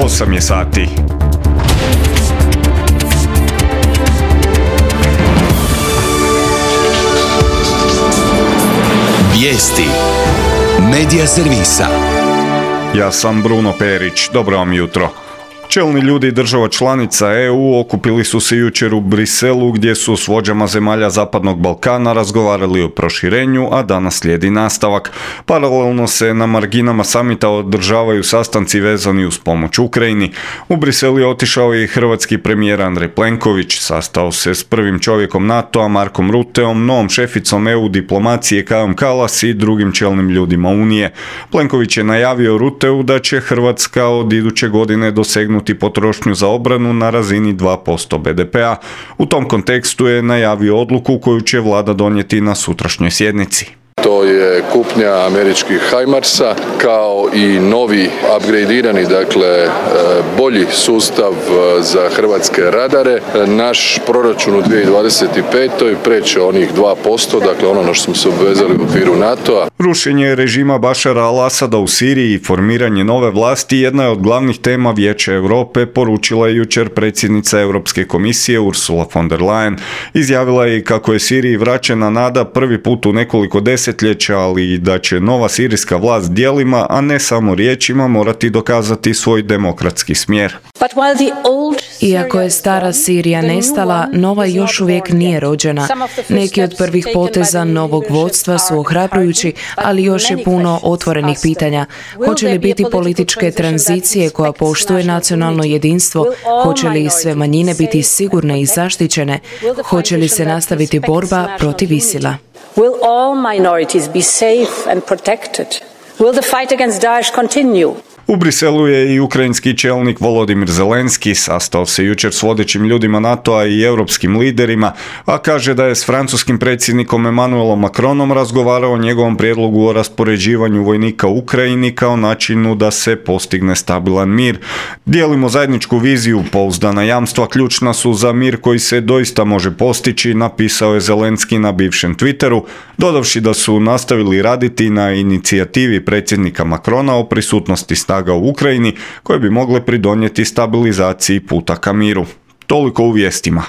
8 je sati. Vijesti Medija servisa. Ja sam Bruno Perić, dobro vam jutro. Čelni ljudi država članica EU okupili su se jučer u Briselu gdje su s vođama zemalja Zapadnog Balkana razgovarali o proširenju, a danas slijedi nastavak. Paralelno se na marginama samita održavaju sastanci vezani uz pomoć Ukrajini. U Brisel je otišao i hrvatski premijer Andrej Plenković, sastao se s prvim čovjekom NATO-a Markom Rutteom, novom šeficom EU diplomacije Kajom Kallas i drugim čelnim ljudima Unije. Plenković je najavio Rutteu da će Hrvatska od iduće godine dosegnuti potrošnju za obranu na razini 2% BDP-a. U tom kontekstu je najavio odluku koju će vlada donijeti na sutrašnjoj sjednici. To je kupnja američkih HIMARS-a kao i novi upgradirani, bolji sustav za hrvatske radare. Naš proračun u 2025. preće onih 2%, ono na što smo se obvezali u okviru NATO-a. Rušenje režima Bašara al-Asada u Siriji i formiranje nove vlasti jedna je od glavnih tema Vijeća Europe, poručila je jučer predsjednica Europske komisije Ursula von der Leyen. Izjavila je kako je Siriji vraćena nada prvi put u nekoliko desetljeća, ali i da će nova sirijska vlast djelima, a ne samo riječima, morati dokazati svoj demokratski smjer. Iako je stara Sirija nestala, nova još uvijek nije rođena. Neki od prvih poteza novog vodstva su ohrabrujući, ali još je puno otvorenih pitanja. Hoće li biti političke tranzicije koja poštuje nacionalno jedinstvo? Hoće li sve manjine biti sigurne i zaštićene? Hoće li se nastaviti borba protiv ISIL-a? Will all minorities be safe and protected? Will the fight against Daesh continue? U Briselu je i ukrajinski čelnik Volodimir Zelenski, sastao se jučer s vodećim ljudima NATO-a i europskim liderima, a kaže da je s francuskim predsjednikom Emmanuelom Macronom razgovarao o njegovom prijedlogu o raspoređivanju vojnika u Ukrajini kao načinu da se postigne stabilan mir. Dijelimo zajedničku viziju, pouzdana jamstva ključna su za mir koji se doista može postići, napisao je Zelenski na bivšem Twitteru, dodavši da su nastavili raditi na inicijativi predsjednika Macrona o prisutnosti snaga u Ukrajini koje bi mogle pridonijeti stabilizaciji puta ka miru. Toliko u vijestima.